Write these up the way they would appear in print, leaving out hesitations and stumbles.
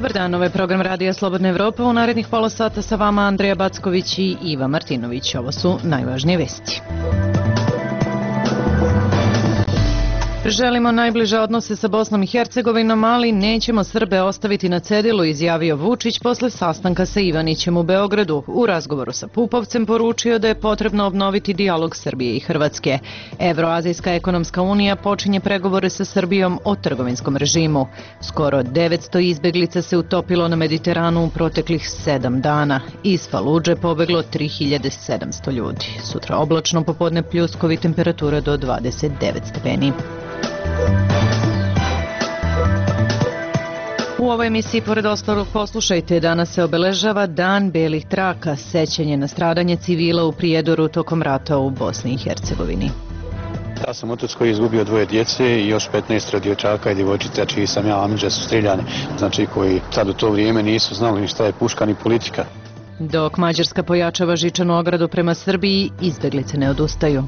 Dobar dan, ovo je program Radija Slobodna Evropa. U narednih pola sata sa vama Andreja Backović i Iva Martinović. Ovo su najvažnije vesti. Želimo najbliže odnose sa Bosnom i Hercegovinom, ali nećemo Srbe ostaviti na cedilu, izjavio Vučić posle sastanka sa Ivanićem u Beogradu. U razgovoru sa Pupovcem poručio da je potrebno obnoviti dijalog Srbije i Hrvatske. Evroazijska ekonomska unija počinje pregovore sa Srbijom o trgovinskom režimu. Skoro 900 izbeglica se utopilo na Mediteranu u proteklih 7 dana. Iz Faludže pobeglo 3700 ljudi. Sutra oblačno, popodne pljuskovi, temperatura do 29 stepeni. U ovoj emisiji, pored ostalog, poslušajte, danas se obeležava Dan belih traka, sećanje na stradanje civila u Prijedoru tokom rata u Bosni i Hercegovini. Ja sam otac koji je izgubio 2 djece i još 15 dječaka i djevojčica čiji sam ja amidža su streljani, znači koji sad u to vrijeme nisu znali ni šta je puška ni politika. Dok Mađarska pojačava žičanu ogradu prema Srbiji, izbeglice ne odustaju.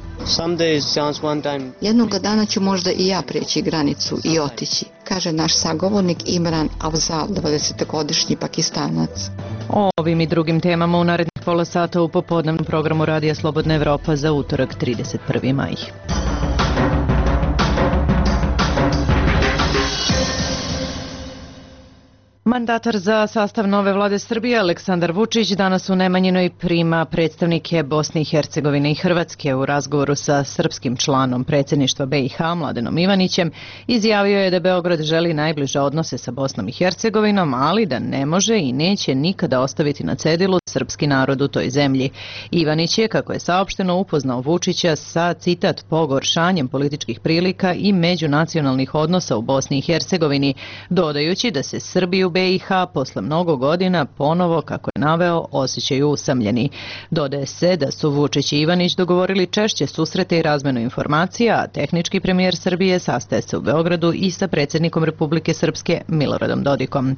Jednog dana ću možda i ja preći granicu i otići, kaže naš sagovornik Imran Afzal, 20-godišnji Pakistanac. O ovim i drugim temama u narednih pola sata u popodnevnom programu Radija Slobodna Evropa za utorak 31. maj. Mandatar za sastav nove vlade Srbije Aleksandar Vučić danas u Nemanjinoj prima predstavnike Bosne i Hercegovine i Hrvatske. U razgovoru sa srpskim članom predsjedništva BiH Mladenom Ivanićem izjavio je da Beograd želi najbliže odnose sa Bosnom i Hercegovinom, ali da ne može i neće nikada ostaviti na cedilu srpski narod u toj zemlji. Ivanić je, kako je saopšteno, upoznao Vučića sa, citat, pogoršanjem političkih prilika i međunacionalnih odnosa u Bosni i Hercegovini, dodajući da se Srbi u BiH posle mnogo godina ponovo, kako je naveo, osjećaju usamljeni. Dodaje se da su Vučić i Ivanić dogovorili češće susrete i razmenu informacija, a tehnički premijer Srbije sastaje se u Beogradu i sa predsjednikom Republike Srpske Miloradom Dodikom.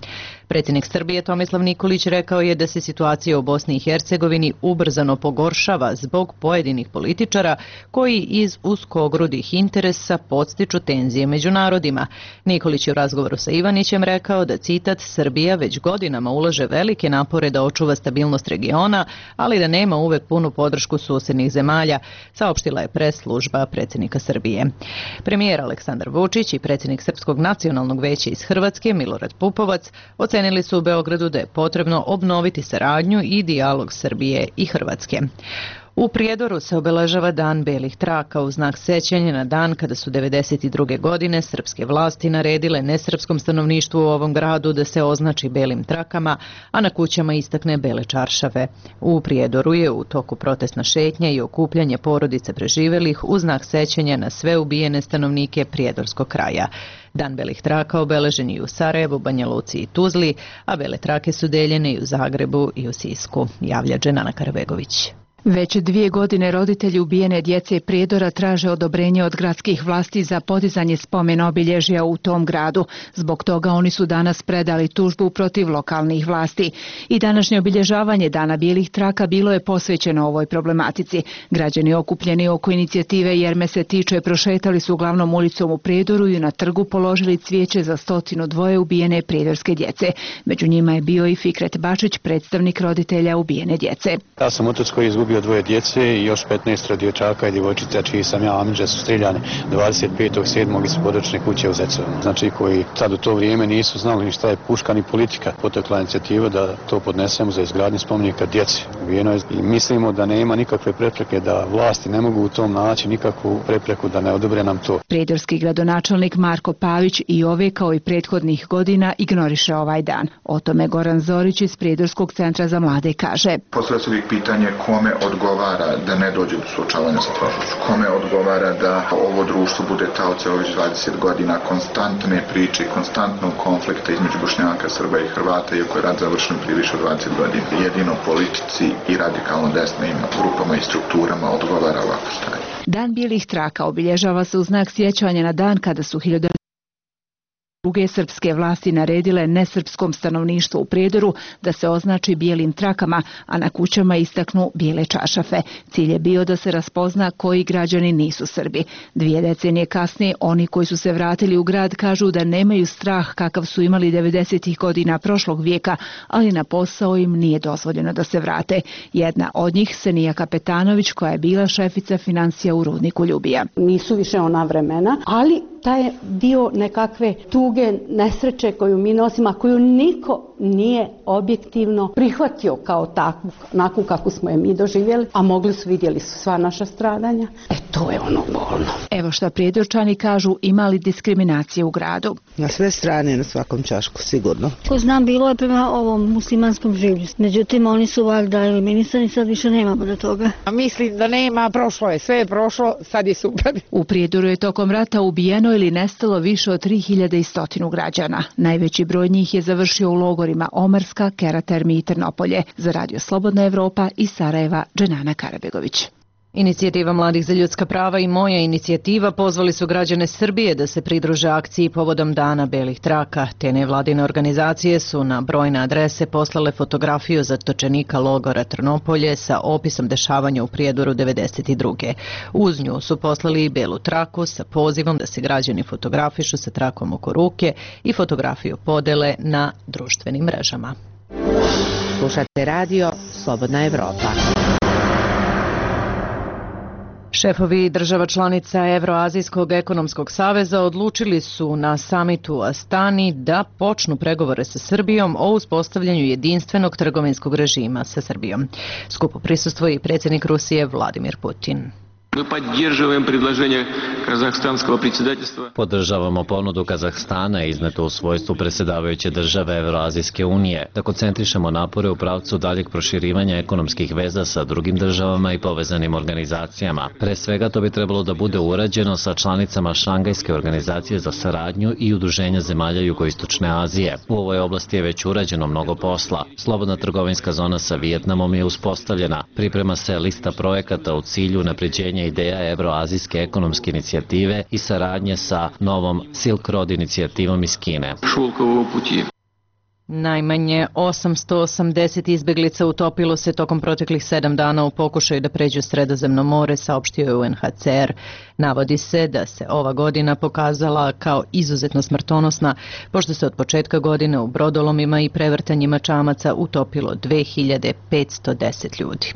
Predsjednik Srbije Tomislav Nikolić rekao je da se situacija u Bosni i Hercegovini ubrzano pogoršava zbog pojedinih političara koji iz uskogrudih interesa podstiču tenzije među narodima. Nikolić je u razgovoru sa Ivanićem rekao da, citat, Srbija već godinama ulaže velike napore da očuva stabilnost regiona, ali da nema uvek punu podršku susjednih zemalja, saopštila je pres služba predsjednika Srbije. Premijer Aleksandar Vučić i predsjednik Srpskog nacionalnog veća iz Hrvatske Milorad Pupovac ocenili su u Beogradu da je potrebno obnoviti saradnju i dijalog Srbije i Hrvatske. U Prijedoru se obeležava Dan belih traka u znak sećanja na dan kada su 1992. godine srpske vlasti naredile nesrpskom stanovništvu u ovom gradu da se označi belim trakama, a na kućama istakne bele čaršave. U Prijedoru je u toku protestna šetnja i okupljanje porodice preživelih u znak sećanja na sve ubijene stanovnike prijedorskog kraja. Dan belih traka obeležen i u Sarajevu, Banja Luci i Tuzli, a bele trake su deljene i u Zagrebu i u Sisku, javlja Dženana Karabegović. Već 2 godine roditelji ubijene djece Prijedora traže odobrenje od gradskih vlasti za podizanje spomen obilježja u tom gradu. Zbog toga oni su danas predali tužbu protiv lokalnih vlasti. I današnje obilježavanje Dana bijelih traka bilo je posvećeno ovoj problematici. Građani okupljeni oko inicijative Jer me se tiče prošetali su glavnom ulicom u Prijedoru i na trgu položili cvijeće za 102 ubijene prijedorske djece. Među njima je bio i Fikret Bačić, predstavnik roditelja ubijene djece. Ja sam otac koji je izgubio 2 djece i još 15 dječaka i djevojčica čiji sam ja amidža su streljani 25.7. iz područne kuće u Zecovinu. Znači koji sad u to vrijeme nisu znali ni šta je puška ni politika. Potekla inicijativa da to podnesemo za izgradnju spomenika djeci. I mislimo da nema nikakve prepreke, da vlasti ne mogu u tom naći nikakvu prepreku da ne odobre nam to. Prijedorski gradonačelnik Marko Pavić i ove kao i prethodnih godina ignoriše ovaj dan. O tome Goran Zorić iz Prijedorskog centra za mlade kaže. Postavlja se uvijek pitanje kome odgovara da ne dođe do suočavanja sa prošlošću, kome odgovara da ovo društvo bude taoce ovih 20 godina konstantne priče i konstantnog konflikta između Bošnjaka, Srba i Hrvata, iako je rat završen prije više od 20 godina. Jedino politici i radikalno desnim grupama i strukturama odgovara ovako stanje. Dan bijelih traka obilježava se u znak sjećanja na dan kada su Druge srpske vlasti naredile nesrpskom stanovništvu u Prijedoru da se označi bijelim trakama, a na kućama istaknu bijele čaršafe. Cilj je bio da se raspozna koji građani nisu Srbi. 2 decenije kasnije oni koji su se vratili u grad kažu da nemaju strah kakav su imali 90. godina prošlog vijeka, ali na posao im nije dozvoljeno da se vrate. Jedna od njih, Senija Kapetanović, koja je bila šefica financija u rudniku Ljubija. Nisu više ona vremena, ali taj je dio nekakve tuge, nesreće koju mi nosimo, a koju niko nije objektivno prihvatio kao takvu, onakvu kako smo je mi doživjeli, a vidjeli su sva naša stradanja. To je ono bolno. Evo šta Prijedorčani kažu, imali diskriminacije u gradu. Na sve strane, na svakom ćašku, sigurno. Ko znam, bilo je prema ovom muslimanskom življu. Međutim, oni su valjda eliminisani, sad više nemamo do toga. Mislim da nema, prošlo je, sve je prošlo, sad je super. U Prijedoru je tokom rata ubijeno ili nestalo više od 3100 građana. Najveći broj njih je završio u logorima Omarska, Keratermi i Trnopolje. Za Radio Slobodna Evropa iz Sarajeva, Dženana Karabegović. Inicijativa Mladih za ljudska prava i Moja inicijativa pozvali su građane Srbije da se pridruže akciji povodom Dana belih traka. Te nevladine organizacije su na brojne adrese poslale fotografiju zatočenika logora Trnopolje sa opisom dešavanja u Prijedoru 92. Uz nju su poslali i belu traku sa pozivom da se građani fotografišu sa trakom oko ruke i fotografiju podele na društvenim mrežama. Slušate radio Slobodna Evropa. Šefovi država članica Evroazijskog ekonomskog saveza odlučili su na samitu u Astani da počnu pregovore sa Srbijom o uspostavljanju jedinstvenog trgovinskog režima sa Srbijom. Skupu prisustvuje i predsjednik Rusije Vladimir Putin. Podržavamo ponudu Kazahstana iznetu u svojstvu predsjedavajuće države Evroazijske unije da koncentrišemo napore u pravcu daljeg proširivanja ekonomskih veza sa drugim državama i povezanim organizacijama. Pre svega to bi trebalo da bude urađeno sa članicama Šangajske organizacije za saradnju i Udruženja zemalja Jugoistočne Azije. U ovoj oblasti je već urađeno mnogo posla. Slobodna trgovinska zona sa Vijetnamom je uspostavljena. Priprema se lista projekata u cilju unapređenja ideja Evroazijske ekonomske inicijative i saradnje sa novom Silk Road inicijativom iz Kine. Najmanje 880 izbeglica utopilo se tokom proteklih 7 dana u pokušaju da pređu Sredozemno more, saopštio je UNHCR. Navodi se da se ova godina pokazala kao izuzetno smrtonosna, pošto se od početka godine u brodolomima i prevrtanjima čamaca utopilo 2510 ljudi.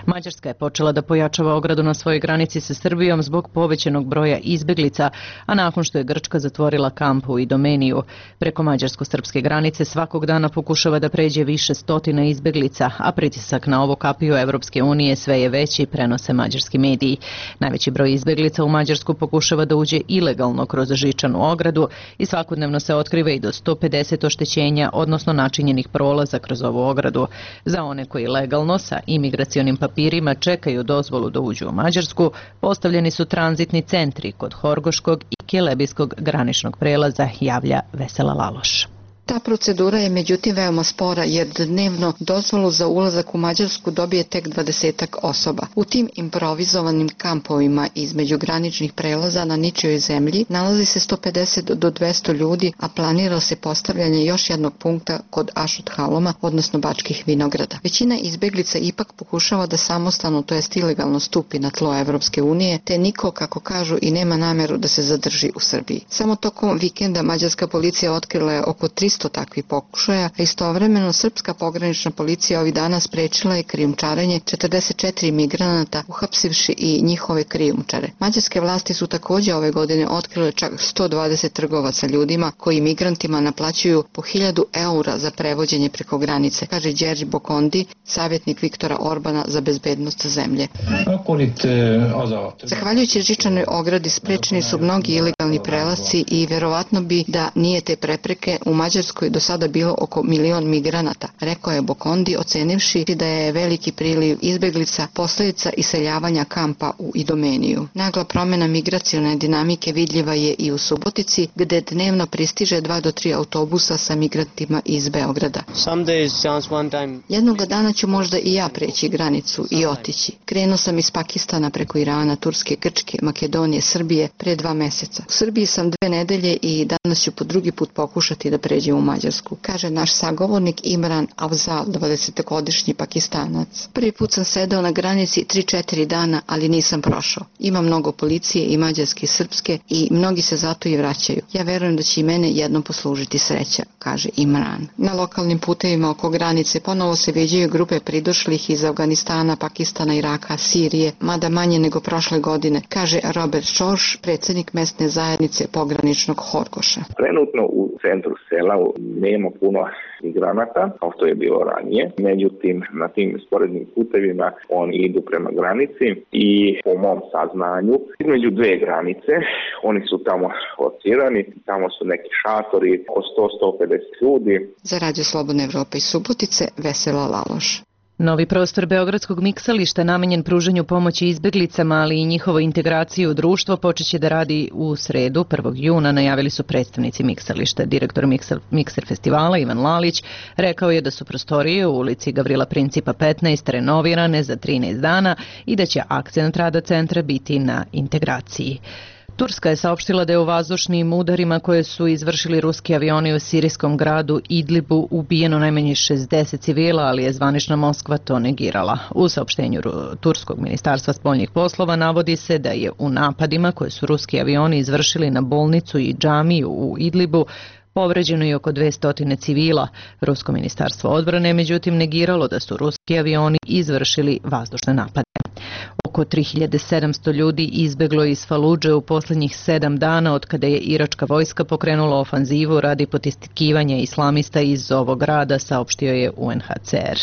Mađarska je počela da pojačava ogradu na svojoj granici sa Srbijom zbog povećanog broja izbeglica, a nakon što je Grčka zatvorila kamp u Idomeniju, preko mađarsko-srpske granice svakog dana pokušava da pređe više stotina izbeglica, a pritisak na ovo kapiju Evropske unije sve je veći, prenose mađarski mediji. Najveći broj izbeglica u Mađarsku pokušava da uđe ilegalno kroz žičanu ogradu i svakodnevno se otkriva i do 150 oštećenja, odnosno načinjenih prolaza kroz ovu ogradu. Za one koji legalno sa imigracionim papirima čekaju dozvolu da uđu u Mađarsku, postavljeni su tranzitni centri kod Horgoškog i Kelebijskog graničnog prelaza, javlja Vesela Laloš. Ta procedura je međutim veoma spora jer dnevno dozvolu za ulazak u Mađarsku dobije tek 20-ak osoba. U tim improvizovanim kampovima između graničnih prelaza na ničijoj zemlji nalazi se 150 do 200 ljudi, a planira se postavljanje još jednog punkta kod Ašut Haloma, odnosno Bačkih vinograda. Većina izbeglica ipak pokušava da samostalno, to jest ilegalno, stupi na tlo Evropske unije, te niko, kako kažu, i nema nameru da se zadrži u Srbiji. Samo tokom vikenda mađarska policija otkrila je oko 300 takvih pokušaja, a istovremeno srpska pogranična policija ovih dana sprečila je krijumčarenje 44 migranata, uhapsivši i njihove krijumčare. Mađarske vlasti su također ove godine otkrile čak 120 trgovaca ljudima koji migrantima naplaćuju po 1000 eura za prevođenje preko granice, kaže Đerđi Bokondi, savjetnik Viktora Orbana za bezbednost zemlje. Zahvaljujući žičanoj ogradi sprečeni su mnogi ilegalni prelasci i verovatno bi da nije te prepreke u Mađarskoj Mađarskoj do sada bilo oko 1 milion migranata, rekao je Bokondi, ocenivši da je veliki priliv izbeglica posljedica iseljavanja kampa u Idomeniju. Nagla promjena migracione dinamike vidljiva je i u Subotici, gde dnevno pristiže 2 do 3 autobusa sa migrantima iz Beograda. Jednoga dana ću možda i ja preći granicu i otići. Krenuo sam iz Pakistana preko Irana, Turske, Grčke, Makedonije, Srbije pre 2 meseca. U Srbiji sam 2 nedelje i danas ću po drugi put pokušati da pređem u Mađarsku, kaže naš sagovornik Imran Afzal, 20-godišnji Pakistanac. Prvi put sam sedao na granici 3-4 dana, ali nisam prošao. Ima mnogo policije i mađarske i srpske i mnogi se zato i vraćaju. Ja verujem da će i mene jednom poslužiti sreća, kaže Imran. Na lokalnim putevima oko granice ponovo se viđaju grupe pridošlih iz Afganistana, Pakistana, Iraka, Sirije, mada manje nego prošle godine, kaže Robert Šorš, predsjednik mesne zajednice pograničnog Horgoša. Trenutno u centru sela nema puno migranata, kao što je bilo ranije. Međutim, na tim sporednim putevima oni idu prema granici i po mom saznanju između 2 granice oni su tamo locirani, tamo su neki šatori od 100-150 ljudi. Za Radio Slobodne Evrope iz Subotice, Vesela Laloš. Novi prostor Beogradskog miksališta namenjen pružanju pomoći izbeglicama, ali i njihovoj integraciji u društvo počeće da radi u sredu, 1. juna, najavili su predstavnici miksališta. Direktor Mikser festivala Ivan Lalić rekao je da su prostorije u ulici Gavrila Principa 15 renovirane za 13 dana i da će akcent rada centra biti na integraciji. Turska je saopštila da je u vazdušnim udarima koje su izvršili ruski avioni u sirijskom gradu Idlibu ubijeno najmanje 60 civila, ali je zvanična Moskva to negirala. U saopštenju Turskog ministarstva spoljnih poslova navodi se da je u napadima koje su ruski avioni izvršili na bolnicu i džamiju u Idlibu povređeno i oko 200 civila. Rusko ministarstvo odbrane međutim negiralo da su ruski avioni izvršili vazdušne napade. Oko 3700 ljudi izbeglo iz Faludže u posljednjih 7 dana od kada je iračka vojska pokrenula ofanzivu radi potiskivanja islamista iz ovog grada, saopštio je UNHCR.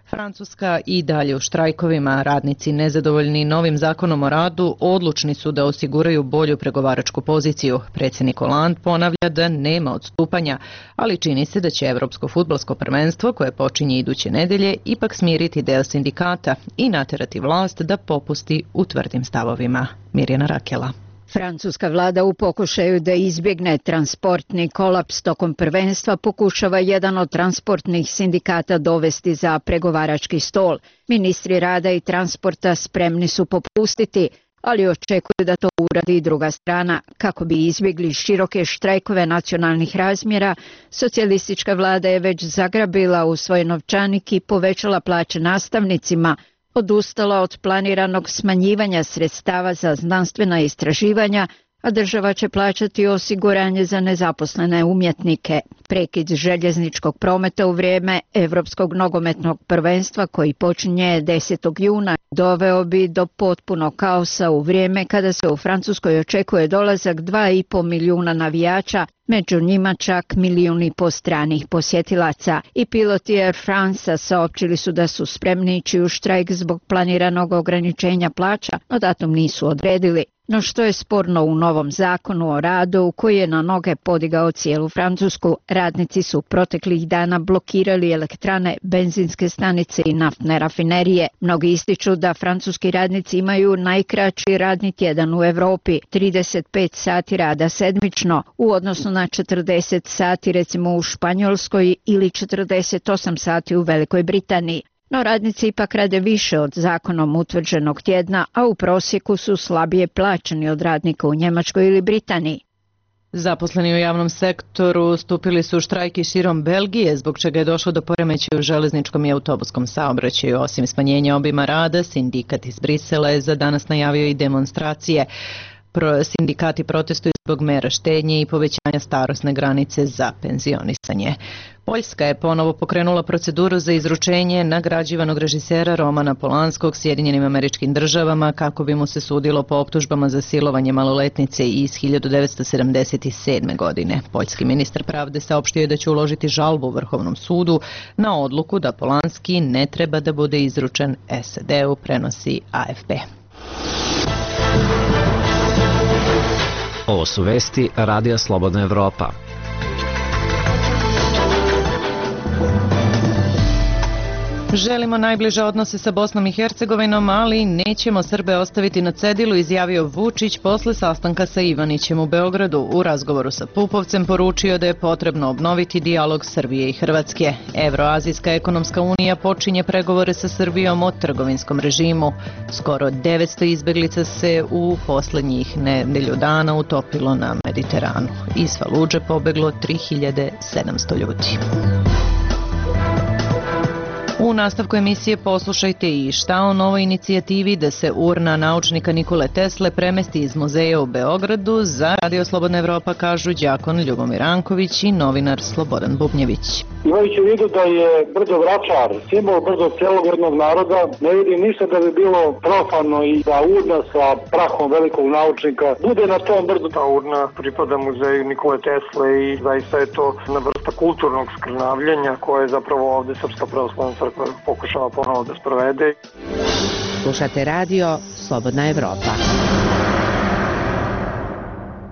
Francuska i dalje u štrajkovima. Radnici nezadovoljni novim zakonom o radu odlučni su da osiguraju bolju pregovaračku poziciju. Predsjednik Hollande ponavlja da nema odstupanja, ali čini se da će Evropsko fudbalsko prvenstvo, koje počinje iduće nedelje, ipak smiriti deo sindikata i naterati vlast da popusti u tvrdim stavovima. Mirjana Rakela. Francuska vlada u pokušaju da izbjegne transportni kolaps tokom prvenstva pokušava jedan od transportnih sindikata dovesti za pregovarački stol. Ministri rada i transporta spremni su popustiti, ali očekuju da to uradi i druga strana. Kako bi izbjegli široke štrajkove nacionalnih razmjera, socijalistička vlada je već zagrabila u svoj novčanik i povećala plaće nastavnicima, odustala od planiranog smanjivanja sredstava za znanstvena istraživanja, a država će plaćati osiguranje za nezaposlene umjetnike. Prekid željezničkog prometa u vrijeme Evropskog nogometnog prvenstva, koji počinje 10. juna, doveo bi do potpunog kaosa u vrijeme kada se u Francuskoj očekuje dolazak 2,5 milijuna navijača, među njima čak 1,5 milijuna stranih posjetilaca. I piloti Air France saopćili su da su spremni ići u štrajk zbog planiranog ograničenja plaća, no datum nisu odredili. No što je sporno u novom zakonu o radu, koji je na noge podigao cijelu Francusku, radnici su proteklih dana blokirali elektrane, benzinske stanice i naftne rafinerije. Mnogi ističu da francuski radnici imaju najkraći radni tjedan u Europi, 35 sati rada sedmično, u odnosu na 40 sati recimo u Španjolskoj ili 48 sati u Velikoj Britaniji. No radnici ipak rade više od zakonom utvrđenog tjedna, a u prosjeku su slabije plaćeni od radnika u Njemačkoj ili Britaniji. Zaposleni u javnom sektoru stupili su u štrajk i širom Belgije, zbog čega je došlo do poremećaja u železničkom i autobuskom saobraćaju. Osim smanjenja obima rada, sindikat iz Brisela je za danas najavio i demonstracije. Sindikati protestuju zbog mera štednje i povećanja starosne granice za penzionisanje. Poljska je ponovo pokrenula proceduru za izručenje nagrađivanog režisera Romana Polanskog Sjedinjenim Američkim Državama kako bi mu se sudilo po optužbama za silovanje maloletnice iz 1977. godine. Poljski ministar pravde saopštio je da će uložiti žalbu Vrhovnom sudu na odluku da Polanski ne treba da bude izručen SAD-u, prenosi AFP. Ovo su vesti Radija Slobodna Evropa. Želimo najbliže odnose sa Bosnom i Hercegovinom, ali nećemo Srbe ostaviti na cedilu, izjavio Vučić posle sastanka sa Ivanićem u Beogradu. U razgovoru sa Pupovcem poručio da je potrebno obnoviti dijalog Srbije i Hrvatske. Evroazijska ekonomska unija počinje pregovore sa Srbijom o trgovinskom režimu. Skoro 900 izbeglica se u poslednjih nedelju dana utopilo na Mediteranu. Iz Faludže pobeglo 3700 ljudi. U nastavku emisije poslušajte i šta o novoj inicijativi da se urna naučnika Nikole Tesle premesti iz muzeja u Beogradu. Za Radio Slobodna Evropa kažu đakon Ljubomir Ranković i novinar Slobodan Bubnjević. Imajući u vidu da je brdo Vračar simbol brdo celog jednog naroda, ne vidim ništa da bi bilo profano i da urna sa prahom velikog naučnika bude na tom brdu. Ta urna pripada muzeju Nikole Tesle i zaista je to na vrsta kulturnog skrnavljenja koje je zapravo ovde Srpska pravoslavna crkva pokušava ponovo da sprovede. Slušate radio Slobodna Evropa.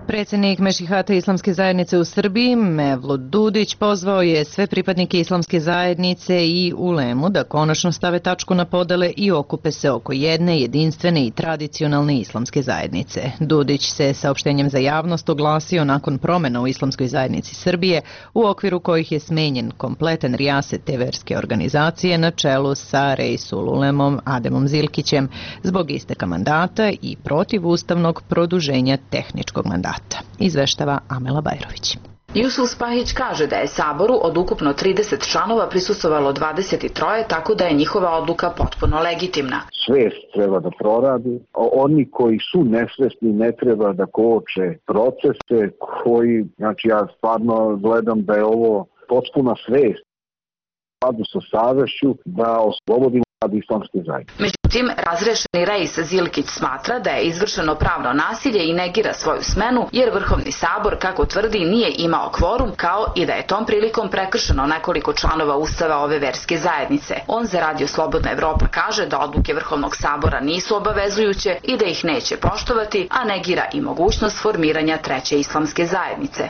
Predsjednik Mešihata Islamske zajednice u Srbiji, Mevlut Dudić, pozvao je sve pripadnike Islamske zajednice i ulemu da konačno stave tačku na podele i okupe se oko jedne, jedinstvene i tradicionalne islamske zajednice. Dudić se saopštenjem za javnost oglasio nakon promena u Islamskoj zajednici Srbije, u okviru kojih je smenjen kompletan rijaset te verske organizacije na čelu sa Reisul Ulemom Ademom Zilkićem zbog isteka mandata i protivustavnog produženja tehničkog mandata. Izveštava Amela Bajrović. Jusuf Spahić kaže da je Saboru od ukupno 30 članova prisustvovalo 23, tako da je njihova odluka potpuno legitimna. Svest treba da proradi, oni koji su nesvesni ne treba da koče procese koji, znači ja stvarno gledam da je ovo potpuna svest u skladu sa savešću da oslobodimo rad islamske zajednice. Međutim, razrešeni Reis Zilkić smatra da je izvršeno pravno nasilje i negira svoju smenu, jer Vrhovni sabor, kako tvrdi, nije imao kvorum, kao i da je tom prilikom prekršeno nekoliko članova Ustava ove verske zajednice. On za Radio Slobodna Evropa kaže da odluke Vrhovnog sabora nisu obavezujuće i da ih neće poštovati, a negira i mogućnost formiranja treće islamske zajednice.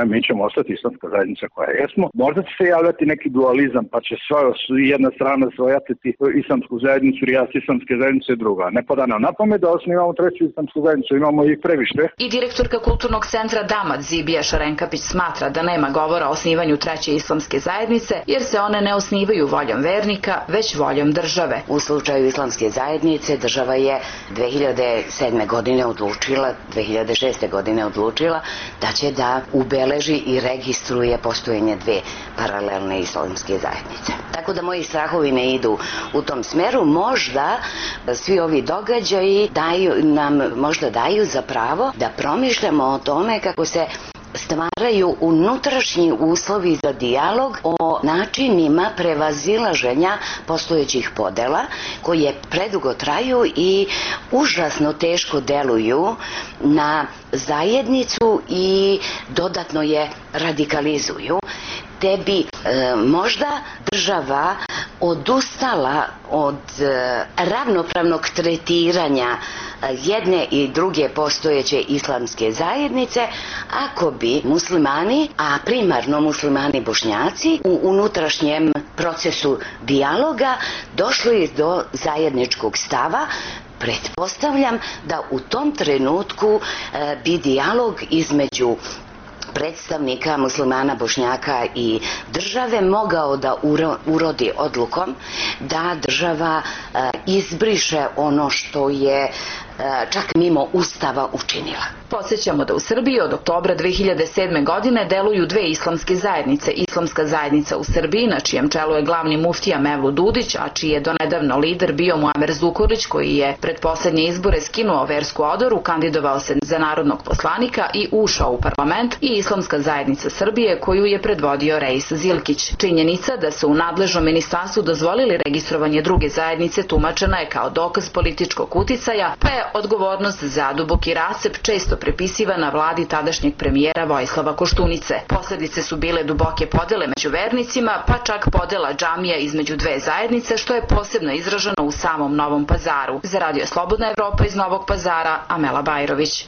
Mi ćemo ostati islamska zajednica koja jesmo. Možda će se javljati neki dualizam, pa će jedna strana svojatiti islamsku zajednicu, rijas islamske zajednice druga. Ne pada nam na pamet da osnivamo treću islamsku zajednicu, imamo ih previše. I direktorka Kulturnog centra Damat Zibija Šarenkapić smatra da nema govora o osnivanju treće islamske zajednice, jer se one ne osnivaju voljom vernika, već voljom države. U slučaju islamske zajednice država je 2007. godine odlučila, 2006. godine odlučila da će da ubeleži i registruje postojanje dve paralelne islamske zajednice. Tako da moji strahovi ne idu u tom smeru. Možda svi ovi događaji možda daju za pravo da promišljamo o tome kako se stvaraju unutrašnji uslovi za dijalog o načinima prevazilaženja postojećih podela koje predugo traju i užasno teško deluju na zajednicu i dodatno je radikalizuju, te bi možda država odustala od ravnopravnog tretiranja jedne i druge postojeće islamske zajednice ako bi muslimani, a primarno muslimani Bošnjaci, u unutrašnjem procesu dijaloga došli do zajedničkog stava. Pretpostavljam da u tom trenutku bi dijalog između predstavnika muslimana, Bošnjaka i države mogao da urodi odlukom da država izbriše ono što je čak mimo Ustava učinila. Podsjećamo da u Srbiji od oktobra 2007. godine deluju dve islamske zajednice. Islamska zajednica u Srbiji, na čijem čelu je glavni muftija Mevlut Dudić, a čiji je donedavno lider bio Muamer Zukorlić, koji je pred poslednje izbore skinuo versku odoru, kandidovao se za narodnog poslanika i ušao u parlament, i Islamska zajednica Srbije, koju je predvodio Reis Zilkić. Činjenica da su u nadležnom ministarstvu dozvolili registrovanje druge zajednice tumačena je kao dokaz političkog uticaja, pa je odgovornost za duboki rascep često prepisivana vladi tadašnjeg premijera Vojislava Koštunice. Posledice su bile duboke podele među vernicima, pa čak podela džamija između dve zajednice, što je posebno izraženo u samom Novom Pazaru. Za Radio Slobodna Evropa iz Novog Pazara, Amela Bajrović.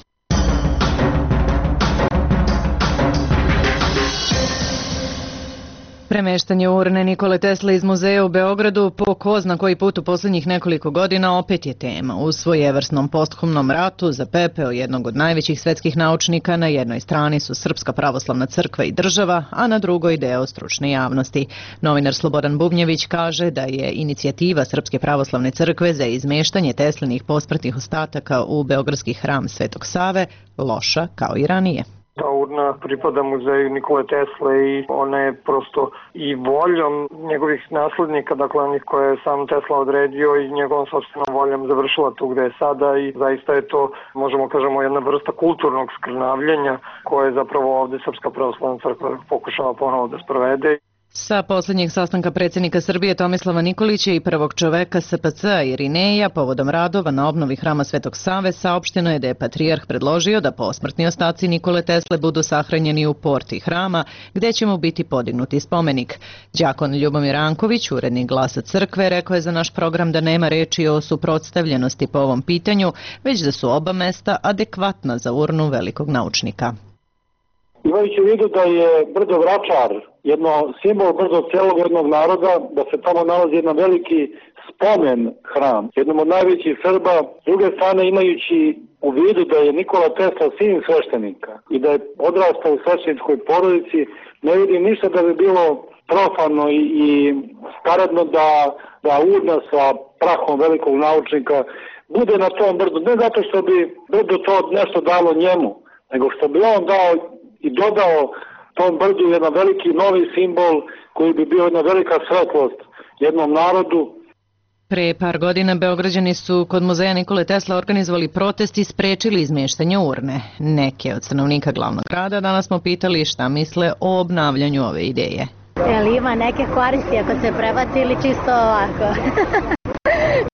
Premeštanje urne Nikole Tesle iz muzeja u Beogradu po ko zna koji put u posljednjih nekoliko godina opet je tema. U svojevrsnom posthumnom ratu za pepeo jednog od najvećih svetskih naučnika na jednoj strani su Srpska pravoslavna crkva i država, a na drugoj deo stručne javnosti. Novinar Slobodan Bubnjević kaže da je inicijativa Srpske pravoslavne crkve za izmeštanje Teslinih posmrtnih ostataka u beogradski hram Svetog Save loša kao i ranije. Ta urna pripada muzeju Nikole Tesle i ona je prosto i voljom njegovih naslednika, dakle onih koje je sam Tesla odredio i njegovom sopstvenom voljom završila tu gde je sada i zaista je to, možemo kažemo, jedna vrsta kulturnog skrnavljenja koje je zapravo ovde Srpska pravoslavna crkva pokušava ponovo da sprovede. Sa posljednjeg sastanka predsjednika Srbije Tomislava Nikolića i prvog čoveka SPC-a Irineja povodom radova na obnovi hrama Svetog Save saopšteno je da je patrijarh predložio da posmrtni ostaci Nikole Tesle budu sahranjeni u porti hrama, gde će mu biti podignuti spomenik. Đakon Ljubomir Anković, urednik Glasa crkve, rekao je za naš program da nema reči o suprotstavljenosti po ovom pitanju, već da su oba mesta adekvatna za urnu velikog naučnika. Imajući u vidu da je Brdo Vračar jedno simbol brzo celog jednog naroda, da se tamo nalazi jedan veliki spomen hram, jednom od najvećih Srba, s druge strane imajući u vidu da je Nikola Tesla sin sveštenika i da je odrastao u svešteničkoj porodici, ne vidim ništa da bi bilo profano i skaradno da urna sa prahom velikog naučnika bude na tom brdu, ne zato što bi brdo to nešto dalo njemu, nego što bi on dao i dodao tom brdu jedan veliki novi simbol koji bi bio jedna velika svetlost jednom narodu. Pre par godina Beograđani su kod muzeja Nikole Tesla organizovali protest i sprečili izmeštanje urne. Neke od stanovnika glavnog grada danas smo pitali šta misle o obnavljanju ove ideje. Jel ima neke koristi ako se prebaci ili čisto ovako?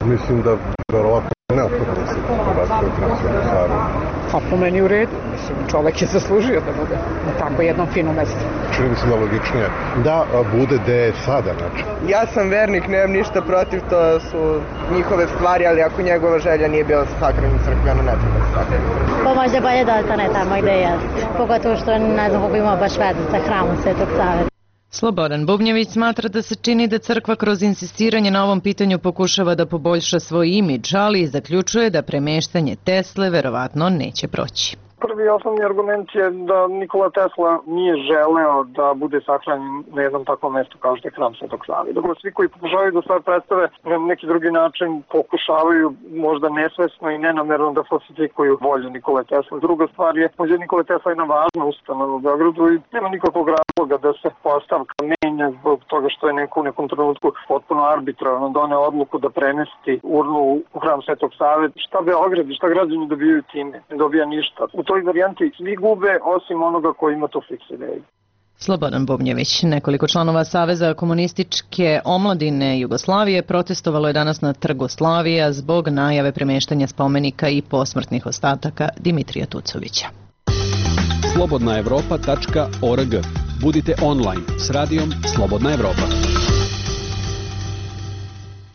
Mislim da verovatno neophodno da se prebaci u hram Svetog Save. Pa po meni u redu, mislim, čovek je zaslužio da bude na tako jednom finom mestu. Čini mi se da logičnije da bude gde je sada, znači. Ja sam vernik, nemam ništa protiv, to su njihove stvari, ali ako njegova želja nije bila sahranjena u crkvi, ono ne treba da sahranjena. Pa možda bolje da ostane tamo gde je, pogotovo što ne znam kako ima baš veze sa hramom Svetog Save. Slobodan Bubnjević smatra da se čini da crkva kroz insistiranje na ovom pitanju pokušava da poboljša svoj imidž, ali zaključuje da premeštanje Tesle verovatno neće proći. Prvi osnovni argument je da Nikola Tesla nije želeo da bude sahranjen na jednom takvom mestu kao što je hram Svetog Save. Dakle, svi koji pokušavaju da stvar predstave na neki drugi način pokušavaju možda nesvesno i nenamerno da falsifikuju volju Nikole Tesla. Druga stvar je, muzej Nikole Tesla je jedna važna ustanova u Beogradu i nema nikakvog razloga da se postavka menja zbog toga što je neko u nekom trenutku potpuno arbitrarno doneo odluku da premesti urnu u hram Svetog Save. Šta Beograd i šta građani dobijaju time? Ne dobija ništa. U toj varijanti svi gube osim onoga koji ima to fiks ideju. Slobodan Bubnjević. Nekoliko članova Saveza komunističke omladine Jugoslavije protestovalo je danas na Trgu Slavija zbog najave premeštanja spomenika i posmrtnih ostataka Dimitrija Tucovića. slobodnaevropa.org. Budite online s radijom Slobodna Evropa.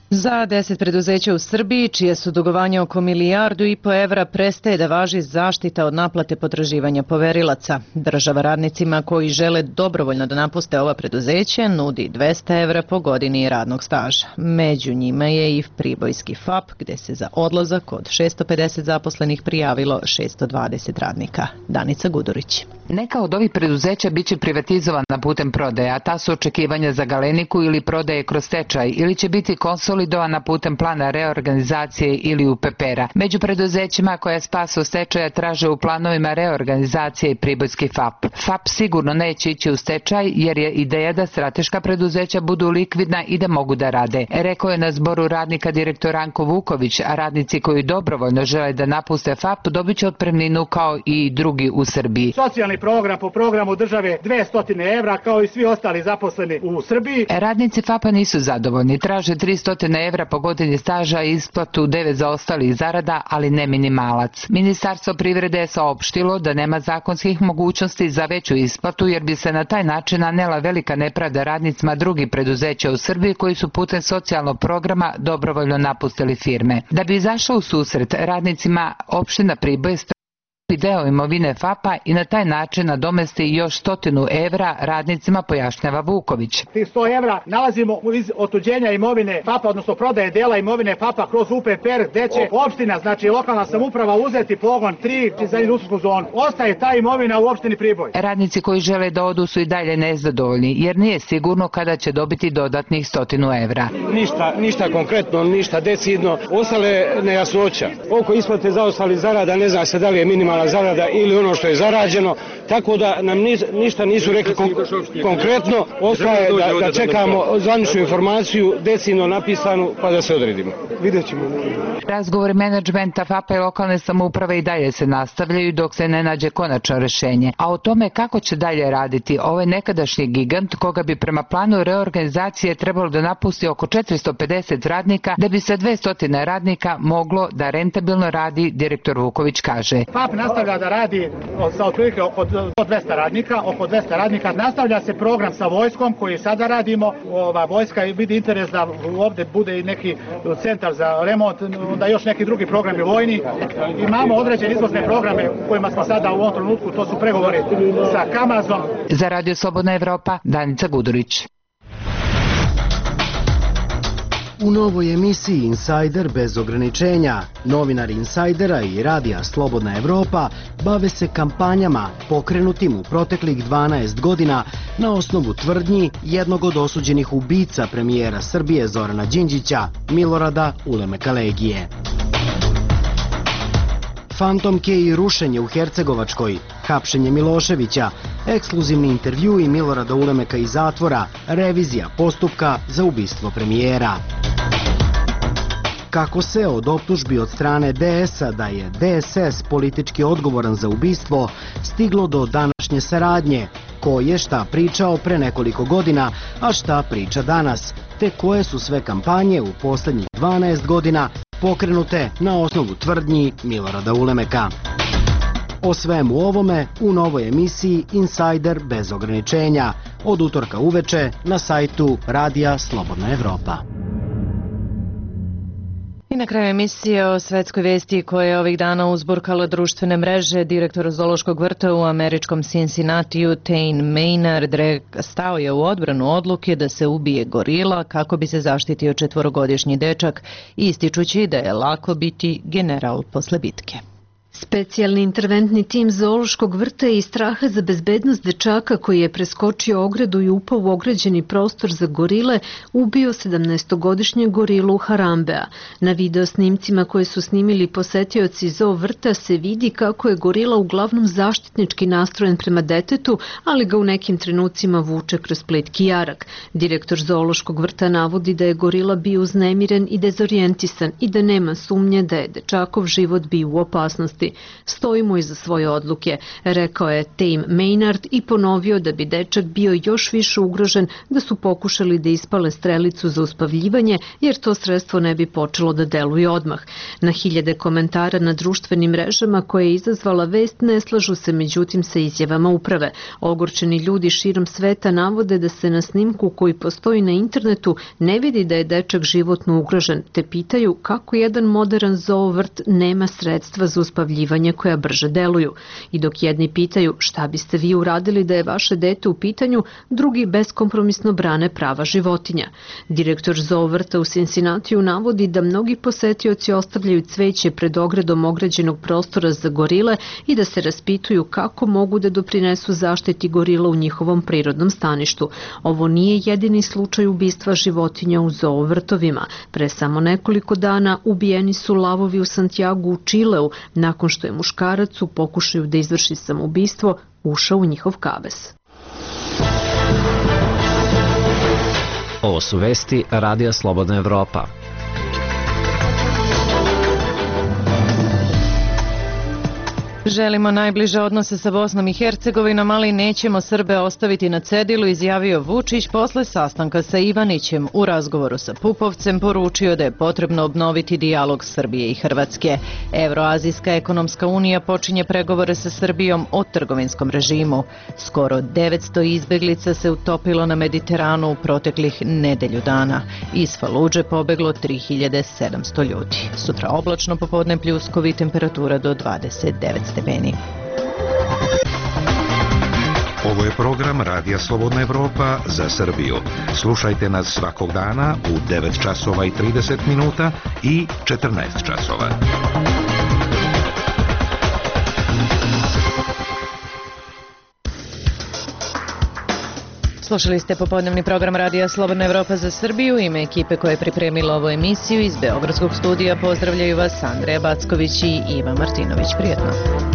Za 10 preduzeća u Srbiji, čije su dugovanje oko 1,5 milijardu evra, prestaje da važi zaštita od naplate potraživanja poverilaca. Država radnicima koji žele dobrovoljno da napuste ova preduzeća nudi 200 evra po godini radnog staža. Među njima je i pribojski FAP, gde se za odlazak od 650 zaposlenih prijavilo 620 radnika. Danica Gudurić. Neka od ovih preduzeća biće privatizovana putem prodaje, a ta su očekivanja za Galeniku ili prodaje kroz stečaj, ili će biti konsolidovana putem plana reorganizacije ili UPPR-a. Među preduzećima koja spas od stečaja traže u planovima reorganizacije i pribojski FAP. FAP sigurno neće ići u stečaj jer je ideja da strateška preduzeća budu likvidna i da mogu da rade. Rekao je na zboru radnika direktor Ranko Vuković, a radnici koji dobrovoljno žele da napuste FAP dobit će otpremninu kao i drugi u Srbiji. Socijalni program po programu države 200 evra kao i svi ostali zaposleni u Srbiji. Radnici FAP-a nisu zadovoljni, traže 300 evra po godini staža i isplatu 9 zaostalih zarada, ali ne minimalac. Ministarstvo privrede je saopštilo da nema zakonskih mogućnosti za veću isplatu jer bi se na taj način nanela velika nepravda radnicima drugih preduzeća u Srbiji koji su putem socijalnog programa dobrovoljno napustili firme. Da bi izašla u susret radnicima, opština Priboj deo imovine FAP-a i na taj način nadomesti još 100 evra radnicima, pojašnjava Vuković. Tih 100 evra nalazimo iz otuđenja imovine FAP-a, odnosno prodaje dela imovine FAP-a kroz UPPR, gde će opština, znači lokalna samouprava, uzeti pogon 3 za industrijsku zonu. Ostaje ta imovina u opštini Priboj. Radnici koji žele da odu su i dalje nezadovoljni, jer nije sigurno kada će dobiti dodatnih 100 evra. Ništa konkretno, ništa decidno. Ostale nejasnoća. Oko isplate zaostalih zarada, ne zna se da li je minimalna zarada ili ono što je zarađeno, tako da nam ništa nisu rekli konkretno. Ostaje da čekamo zvaničnu informaciju, decidno napisanu, pa da se odredimo. Vidjet ćemo. Razgovori menadžmenta FAP-a i lokalne samouprave i dalje se nastavljaju dok se ne nađe konačno rešenje. A o tome kako će dalje raditi ovaj nekadašnji gigant, koga bi prema planu reorganizacije trebalo da napusti oko 450 radnika, da bi se 200 radnika moglo da rentabilno radi, direktor Vuković kaže. FAP nastavlja da radi sa otprilike oko 200 radnika. Nastavlja se program sa vojskom koji sada radimo. Vojska vidi interes da ovde bude i neki centar za remont, da još neki drugi programi vojni. Imamo određene izvozne programe u kojima smo sada u ovom trenutku, to su pregovori sa Kamazom. Za Radio Slobodna Evropa, Danica Gudurić. U novoj emisiji Insider bez ograničenja, novinari Insidera i Radija Slobodna Evropa bave se kampanjama pokrenutim u proteklih 12 godina na osnovu tvrdnji jednog od osuđenih ubica premijera Srbije Zorana Đinđića, Milorada Ulemeka Legije. Fantomke i rušenje u Hercegovačkoj, hapšenje Miloševića, ekskluzivni intervjui Milorada Ulemeka iz zatvora, revizija postupka za ubistvo premijera. Kako se od optužbi od strane DS-a da je DSS politički odgovoran za ubistvo stiglo do današnje saradnje, ko je šta pričao pre nekoliko godina, a šta priča danas, te koje su sve kampanje u poslednjih 12 godina pokrenute na osnovu tvrdnji Milorada Ulemeka. O svemu ovome u novoj emisiji Insider bez ograničenja od utorka uveče na sajtu Radija Slobodna Evropa. I na kraju emisije o svetskoj vesti koja je ovih dana uzburkala društvene mreže, direktor zoološkog vrta u američkom Cincinnatiju Tain Maynard stao je u odbranu odluke da se ubije gorila kako bi se zaštitio 4-godišnji dečak, ističući da je lako biti general posle bitke. Specijalni interventni tim zoološkog vrta je iz straha za bezbednost dečaka koji je preskočio ogradu i upao u ograđeni prostor za gorile, ubio 17-godišnje gorilu Harambea. Na video snimcima koje su snimili posetioci zoo vrta se vidi kako je gorila uglavnom zaštitnički nastrojen prema detetu, ali ga u nekim trenucima vuče kroz plitki jarak. Direktor zoološkog vrta navodi da je gorila bio uznemiren i dezorijentisan i da nema sumnje da je dečakov život bio u opasnosti. Stojimo iza svoje odluke, rekao je Tain Maynard i ponovio da bi dečak bio još više ugrožen da su pokušali da ispale strelicu za uspavljivanje, jer to sredstvo ne bi počelo da deluje odmah. Na hiljade komentara na društvenim mrežama koje je izazvala vest ne slažu se međutim sa izjavama uprave. Ogorčeni ljudi širom sveta navode da se na snimku koji postoji na internetu ne vidi da je dečak životno ugrožen, te pitaju kako jedan modern zoo vrt nema sredstva za uspavljivanje koja brže deluju. I dok jedni pitaju šta biste vi uradili da je vaše dete u pitanju, drugi beskompromisno brane prava životinja. Direktor zoo vrta u Cincinnatiju navodi da mnogi posetioci ostavljaju cveće pred ogradom ograđenog prostora za gorile i da se raspituju kako mogu da doprinesu zaštiti gorila u njihovom prirodnom staništu. Ovo nije jedini slučaj ubistva životinja u zoo vrtovima. Pre samo nekoliko dana ubijeni su lavovi u Santiagu u Čileu, nakon što je muškarac u pokušaju da izvrši samoubistvo ušao u njihov kavez. Ovo su vesti Radija Slobodna Evropa. Želimo najbliže odnose sa Bosnom i Hercegovinom, ali nećemo Srbe ostaviti na cedilu, izjavio Vučić posle sastanka sa Ivanićem. U razgovoru sa Pupovcem poručio da je potrebno obnoviti dijalog Srbije i Hrvatske. Evroazijska ekonomska unija počinje pregovore sa Srbijom o trgovinskom režimu. Skoro 900 izbeglica se utopilo na Mediteranu u proteklih nedelju dana. Iz Faludže pobeglo 3700 ljudi. Sutra oblačno, popodne pljuskovi, temperatura do 29 stepeni. stepeni. Ovo je program Radija Slobodna Evropa za Srbiju. Slušajte nas svakog dana u 9 časova i 30 minuta i 14 časova. Slušali ste popodnevni program Radija Slobodna Evropa za Srbiju. Ime ekipe koja je pripremila ovu emisiju iz Beogradskog studija pozdravljaju vas Andreja Backović i Iva Martinović. Prijetno.